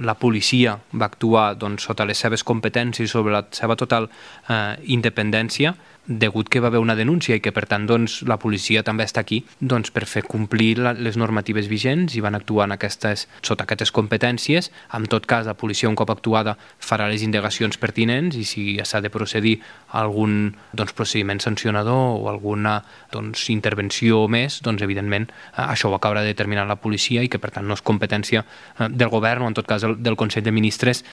la policia va actuar sota les seves competències, sobre la seva total independència, degut que va haver una denúncia i que per tant la policia també està aquí per fer complir les normatives vigents i van actuar sota aquestes competències. En tot cas, la policia un cop actuada farà les indagacions pertinents i si s'ha de procedir a algun procediment sancionador o alguna intervenció més, evidentment això ho acabarà de determinar la policia i que per tant no és competència del govern o en tot cas del Consell de Ministres